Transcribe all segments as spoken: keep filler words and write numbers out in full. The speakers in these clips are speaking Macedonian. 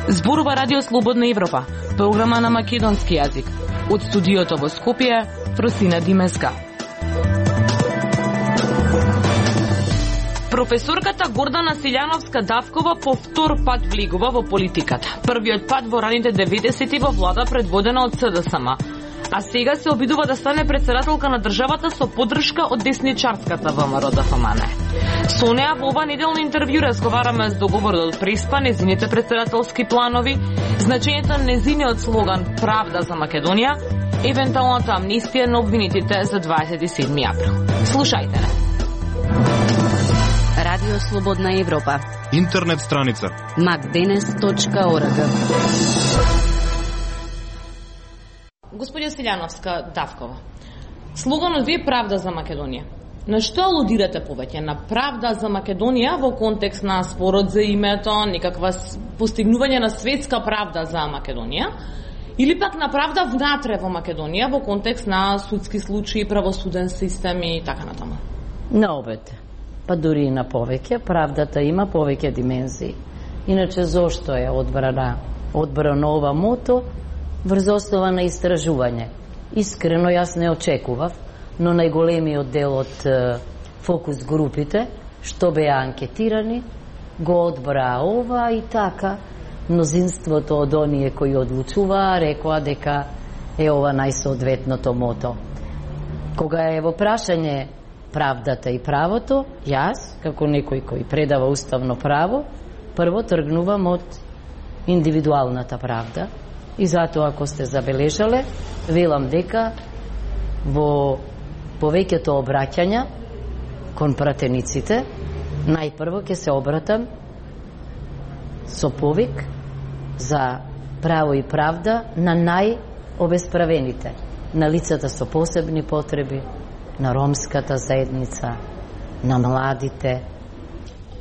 Зборува Радио Слободна Европа, програма на македонски јазик. Од студиото во Скопје, Фросина Димеска. Професорката Гордана Силјановска-Давкова по втор пат влегува во политиката. Првиот пат во раните деветесети во влада предводена од СДСМ, а сега се обидува да стане председателка на државата со поддршка од десничарската ВМРО Д Ф М Н. Со неа во ова неделно интервју разговараме за договорот од Преспа, незините председателски планови, значењето на незиниот слоган Правда за Македонија, евентуалната амнистија на обвинетите за дваесет и седми април. Слушајте не. Радио Слободна Европа. Интернет страница макденес точка орг. Господја Силјановска-Давкова, слоганот ви е Правда за Македонија. На што алудирате повеќе? На правда за Македонија во контекст на спорот за името, некаква постигнување на светска правда за Македонија, или пак на правда внатре во Македонија во контекст на судски случаи, правосуден систем и така натаму? На обете. Па дури и на повеќе. Правдата има повеќе димензии. Иначе зошто е одбрана одбрано ова мото? Врз основа на истражување. Искрено јас не очекував, но најголемиот дел од е, фокус групите, што беа анкетирани, го одбраа ова и така. Мнозинството од оние кои одлучуваа рекоа дека е ова најсоодветното мото. Кога е во прашање правдата и правото, јас, како некој кој предава уставно право, прво тргнувам од индивидуалната правда и затоа, ако сте забележале, велам дека во повеќето обраќања кон пратениците, најпрво ќе се обратам со повик за право и правда на најобесправените, на лицата со посебни потреби, на ромската заедница, на младите.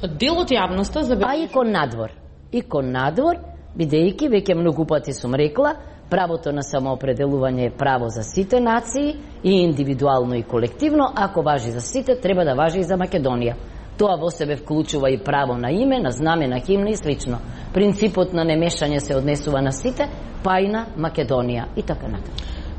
Дел од јавноста за... А и кон надвор. И кон надвор, бидејќи веќе многу пати сум рекла, правото на самоопределување е право за сите нации, и индивидуално и колективно. Ако важи за сите, треба да важи и за Македонија. Тоа во себе вклучува и право на име, на знаме, на химна и слично. Принципот на немешање се однесува на сите, па и на Македонија и така натаму.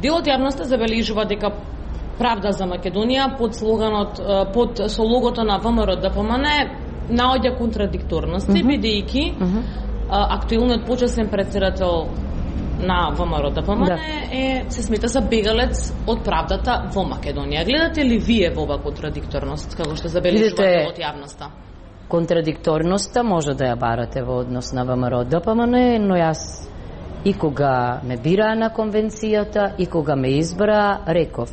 Дел од јавноста забележува дека Правда за Македонија под слоганот, под со логото на ВМРО Д Ф М Н наоѓа контрадикторности, mm -hmm. бидејќи mm -hmm. актуелниот почесен председател на ВМРО Д Ф М Н да. е се смета за бегалец од правдата во Македонија. Гледате ли вие во ова контрадикторност, како што забележува од јавноста? Контрадикторноста може да ја барате во однос на ВМРО Д Ф М Н, но јас и кога ме бираа на конвенцијата и кога ме избраа, реков: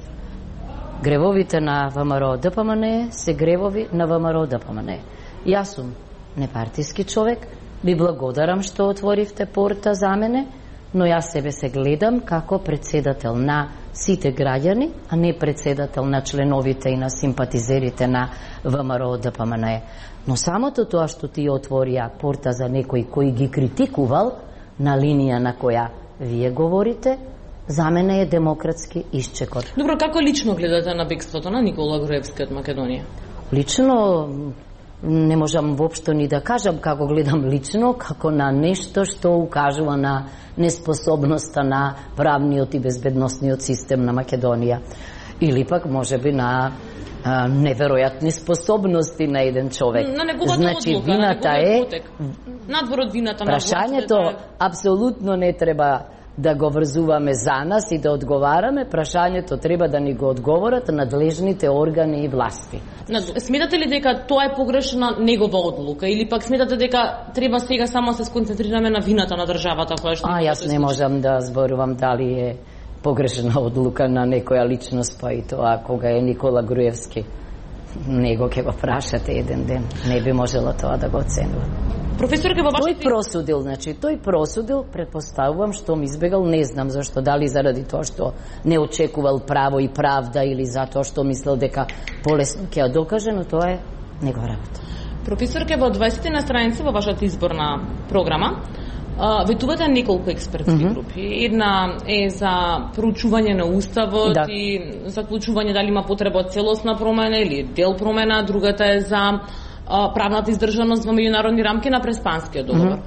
гревовите на ВМРО Д Ф М Н се гревови на ВМРО Д Ф М Н. Јас сум непартиски човек, ви благодарам што отворивте порта за мене, но јас себе се гледам како председател на сите граѓани, а не председател на членовите и на симпатизерите на ВМРО Д Ф М Н. Но самото тоа што ти отворија порта за некој кој ги критикувал на линија на која вие говорите, за мене е демократски исчекот. Добро, како лично гледате на бегството на Никола Груевски од Македонија? Лично не можам воопшто ни да кажам како гледам лично, како на нешто што укажува на неспособноста на правниот и безбедносниот систем на Македонија. Или пак можеби на а, неверојатни способности на еден човек. На неговата значи, одлука, вината на е... Надвор од вината на прашањето апсолутно не треба да го врзуваме за нас и да одговараме, прашањето треба да ни го одговорат надлежните органи и власти. Сметате ли дека тоа е погрешна негова одлука или пак сметате дека треба сега само се сконцентрираме на вината на државата која што... А, јас не можам да зборувам дали е погрешна одлука на некоја личност, па и тоа кога е Никола Груевски. Него ќе го прашате еден ден. Не би можела тоа да го оценува. Професорке, во вашите... Тој просудил, значи, тој просудил, предпоставувам, што ми избегал, не знам зашто, дали заради тоа што не очекувал право и правда или затоа што мислел дека полесно ќе ја докаже, но тоа е негова работа. Професорке, во дваесетте на страница во вашата изборна програма ветувате неколку експертски mm -hmm. групи. Една е за проучување на уставот да. и заклучување дали има потреба од целосна промена или дел промена, другата е за а, правната издржаност во меѓународни рамки на Преспанскиот договор. Mm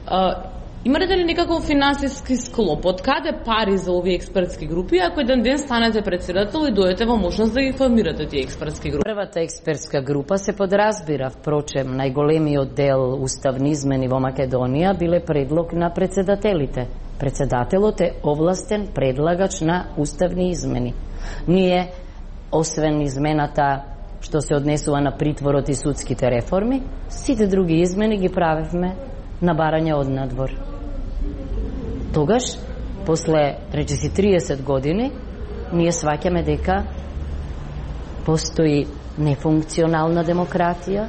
-hmm. Имате ли некаков финансиски склоп? Од каде пари за овие експертски групи, ако еден ден станете председател и дојдете во можност да ги формирате тие експертски групи? Првата експертска група се подразбира, впрочем, најголемиот дел уставни измени во Македонија биле предлог на председателите. Председателот е овластен предлагач на уставни измени. Ние, освен измената што се однесува на притворот и судските реформи, сите други измени ги правевме на барање од надвор. Тогаш, после речиси триесет години, ние сваќаме дека постои нефункционална демократија,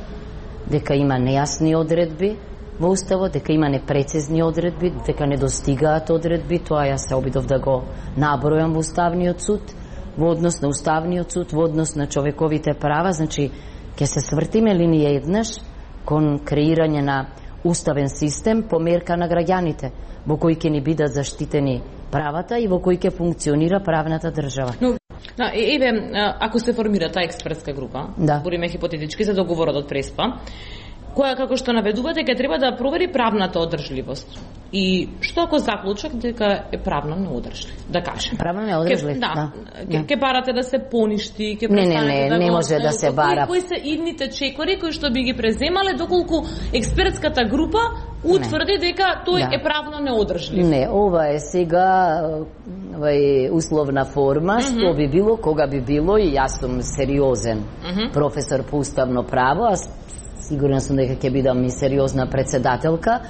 дека има нејасни одредби во уставот, дека има непрецизни одредби, дека не достигаат одредби, тоа ја се обидов да го набројам во Уставниот суд, во однос на Уставниот суд, во однос на човековите права, значи ќе се свртиме ли ние еднаш кон креирање на уставен систем по мерка на граѓаните, во кој ќе ни бидат заштитени правата и во кој ќе функционира правната држава. Но, да, еве, ако се формира таа експертска група, да. збориме хипотетички за договорот од Преспа, која, како што наведувате, ќе треба да провери правната одржливост. И што ако заклучок дека е правно неодржлив, да кажем. Правно неодржлив, ке, да. Ке, ке барате да се поништи, ке не, не, не, да не го, може да се бара. Кои, кои се идните чекори кои што би ги преземале доколку експертската група утврди не. дека тој да. е правно неодржлив? Не, ова е сега вај условна форма, mm -hmm. што би било, кога би било, и јас сум сериозен mm -hmm. професор по уставно право, а сигурна сум дека ќе бидам и сериозна председателка.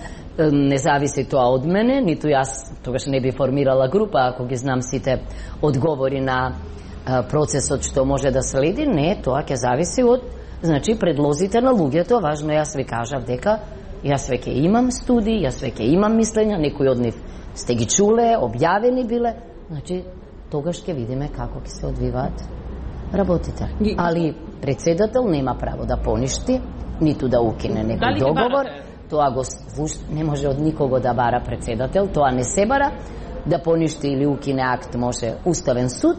Не зависи тоа од мене, ниту јас тогаш не би формирала група ако ги знам сите одговори на процесот што може да следи. Не, тоа ќе зависи од, значи, предлозите на луѓето. Важно, јас ви кажав дека јас веќе имам студии, јас веќе имам мислења, некои од нив сте ги чуле, објавени биле. Значи, тогаш ќе видиме како ќе се одвиваат работите. Али председател нема право да поништи, ниту да укине некој договор. Тоа го не може од никого да бара председател, тоа не се бара. Да поништи или укине акт може Уставен суд.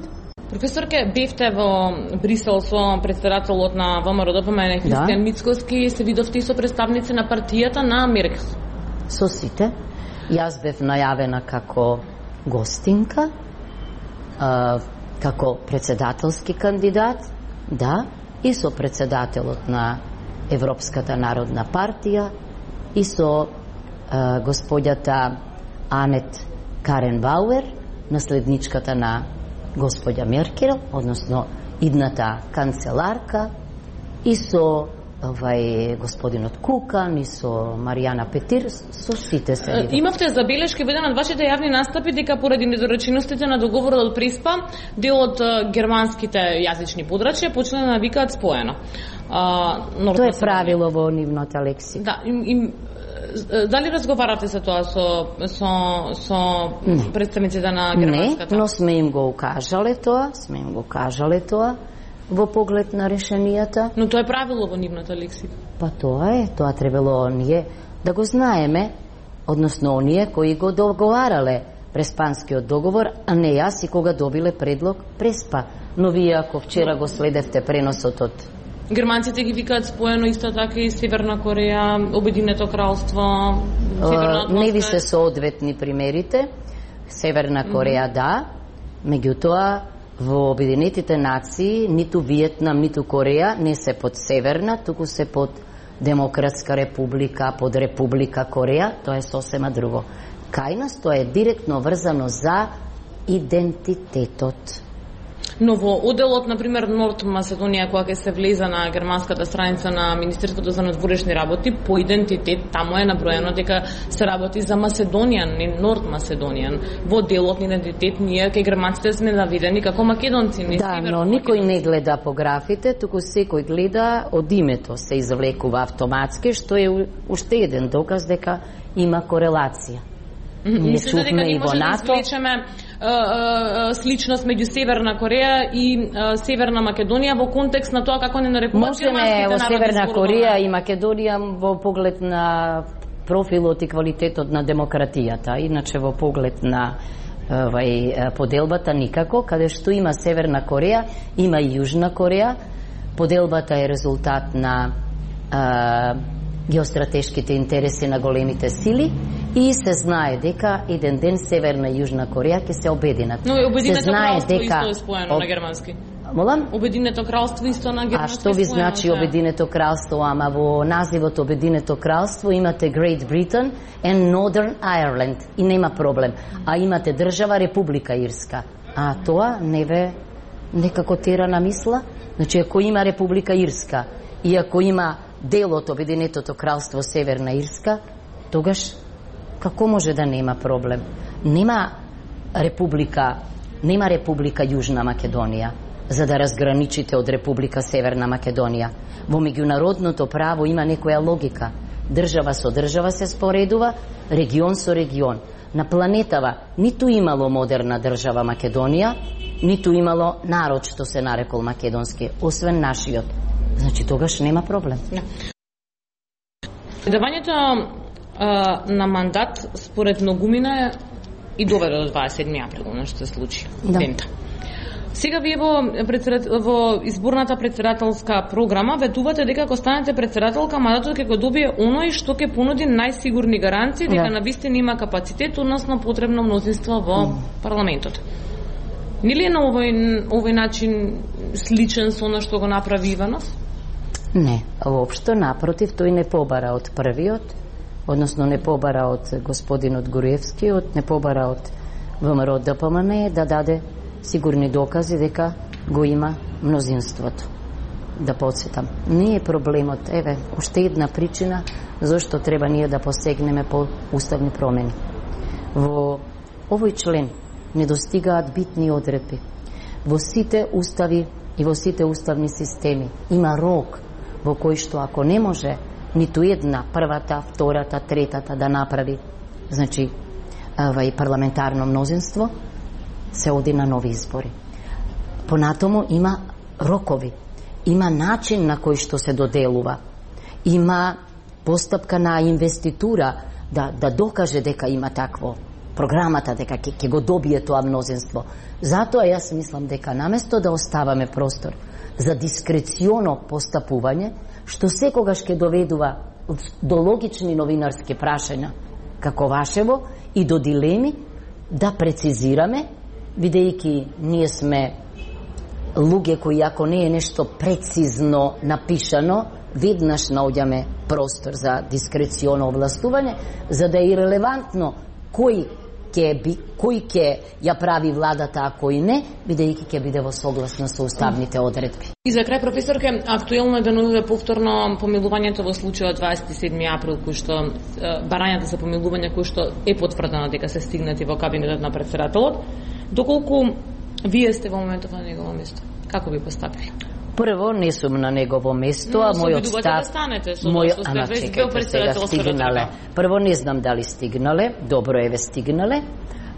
Професорке, бевте во Брисел со председателот на ВМРО-ДПМН Христијан да. Мицкоски, се видовте и со представници на партијата на Меркел. Со сите. Јас бев најавена како гостинка, а, како председателски кандидат, да, и со председателот на Европската народна партија, и со а, господјата Анет Каренбауер, наследничката на господја Меркел, односно идната канцеларка, и со овај господинот Кукан, и со Маријана Петир, со сите се видов. Имавте забелешки во еден од вашите јавни настапи дека поради недореченостите на договорот од Преспа, дел од германските јазични подрачја почна да навикаат споено. А, Тоа е правило во нивната лексика. Да, им, им, дали разговарате за тоа со, со, со представниците на германската? Не, но сме им го укажале тоа, сме им го кажале тоа во поглед на решенијата. Но тоа е правило во нивната лексика. Па тоа е, тоа требало оние да го знаеме, односно оние кои го договарале Преспанскиот договор, а не јас и кога добиле предлог Преспа. Но вие ако вчера го следевте преносот од германците ги викаат споено исто така и Северна Кореја, Обединето кралство, Северна Атлантска. Не ви се соодветни примерите. Северна Кореја mm -hmm. да, меѓутоа во Обединетите нации ниту Виетнам, ниту Кореја не се под Северна, туку се под Демократска република, под Република Кореја, тоа е сосема друго. Кај нас тоа е директно врзано за идентитетот. Но во оделот, например, Норд Македонија, кога ќе се влеза на германската страница на Министерството за надворешни работи, по идентитет таму е наброено дека се работи за Македонија, не Норд Македонија. Во делот на идентитет ние кај германците сме наведени како македонци, не да, но никој не гледа по графите, туку секој гледа од името се извлекува автоматски, што е уште еден доказ дека има корелација. Не чувме и во НАТО. Сличност меѓу Северна Кореја и Северна Македонија во контекст на тоа како не нарекуваат германските народи. Можеме во Северна Кореја и Македонија во поглед на профилот и квалитетот на демократијата, иначе во поглед на овај поделбата никако, каде што има Северна Кореја, има и Јужна Кореја. Поделбата е резултат на а, геостратешките интереси на големите сили и се знае дека еден ден Северна и Јужна Кореја ќе се обединат. Но Обединето кралство дека... исто е споено об... на германски. Молам? Обединето кралство исто на германски. А што ви значи да. Обединето кралство? Ама во називот Обединето кралство имате Great Britain and Northern Ireland и нема проблем. А имате држава Република Ирска. А тоа не ве некако тера на мисла? Значи, ако има Република Ирска и ако има дел од Обединетото кралство Северна Ирска, тогаш како може да нема проблем? Нема Република, нема Република Јужна Македонија за да разграничите од Република Северна Македонија. Во меѓународното право има некоја логика. Држава со држава се споредува, регион со регион. На планетава ниту имало модерна држава Македонија, ниту имало народ што се нарекол македонски, освен нашиот. Значи тогаш нема проблем. Давањето на мандат според многумина и доведе до дваесет и седми април, она што се случи. Да. Дента. Сега вие во, во изборната председателска програма ветувате дека ако станете председателка, мандатот ќе го добие оној што ќе понуди најсигурни гаранции дека да. навистина има капацитет, односно потребно мнозинство во mm. парламентот. Нели е на овој, овој начин сличен со она што го направи Иванов? Не, воопшто напротив, тој не побара од првиот, односно не побара од господинот Груевски, не побара од ВМРО Д П М Н да даде сигурни докази дека го има мнозинството. Да подсетам, не е проблемот, еве, уште една причина зашто треба ние да посегнеме по уставни промени. Во овој член не достигаат битни одредби. Во сите устави и во сите уставни системи има рок во кој што ако не може ниту една, првата, втората, третата да направи, значи, и парламентарно мнозинство, се оди на нови избори. Понатому има рокови, има начин на кој што се доделува, има постапка на инвеститура да, да докаже дека има такво, програмата дека ќе, ќе го добие тоа мнозинство. Затоа јас мислам дека наместо да оставаме простор за дискреционо постапување, што секогаш ќе доведува до логични новинарски прашања, како вашево, и до дилеми, да прецизираме, бидејќи ние сме луѓе кои ако не е нешто прецизно напишано, веднаш наоѓаме простор за дискреционо овластување, за да е ирелевантно кој ќе би, кој ќе ја прави владата, а кој не, бидејќи ќе биде во согласно со уставните одредби. И за крај, професорке, актуелно е да денодите повторно помилувањето во случајот дваесет и седми април, кој што барањата за помилување кој што е потврдено дека се стигнати во кабинетот на председателот. Доколку вие сте во моментот на негово место, како би постапиле? Прво, не сум на негово место, но, а мојот став... да станете, со мој... сте Ама, веќе чекайте, председател стигнале. Прво, не знам дали стигнале, добро еве стигнале.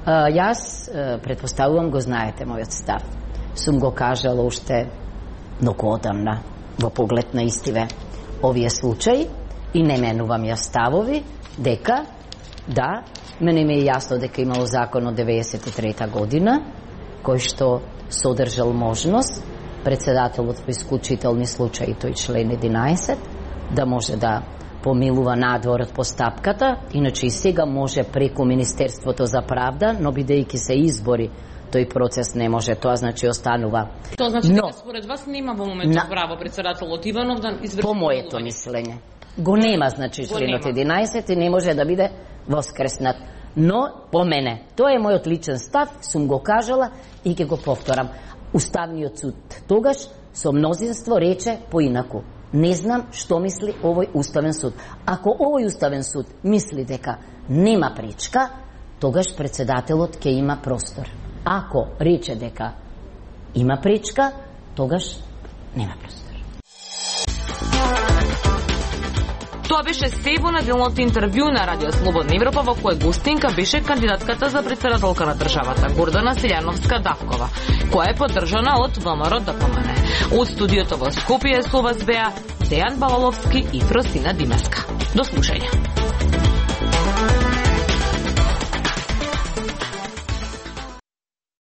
А, јас, предпоставувам, го знаете мојот став. Сум го кажала уште многу одамна во поглед на истиве овие случаи и не менувам ја ставови дека, да, мене ми е јасно дека имало закон од деветдесет и трета година, кој што содржал можност председателот во исклучителни случаи, тој член единаесет, да може да помилува надвор од постапката, иначе и сега може преку Министерството за правда, но бидејќи се избори, тој процес не може, тоа значи останува. Тоа значи дека според вас нема во моментот на... право председателот Иванов да изврши по моето мислење. Го нема, значи членот единаесет и не може да биде воскреснат. Но по мене, тоа е мојот личен став, сум го кажала и ќе го повторам. Уставниот суд тогаш со мнозинство рече поинаку. Не знам што мисли овој уставен суд. Ако овој уставен суд мисли дека нема пречка, тогаш председателот ќе има простор. Ако рече дека има пречка, тогаш нема простор. Тоа беше се во неделното интервју на Радио Слободна Европа, во кое гостинка беше кандидатката за председателка на државата Гордана Силјановска-Давкова, која е поддржана од ВМРО Д П М Н. Од студиото во Скопје со вас беа Дејан Балаловски и Фросина Димеска. До слушање.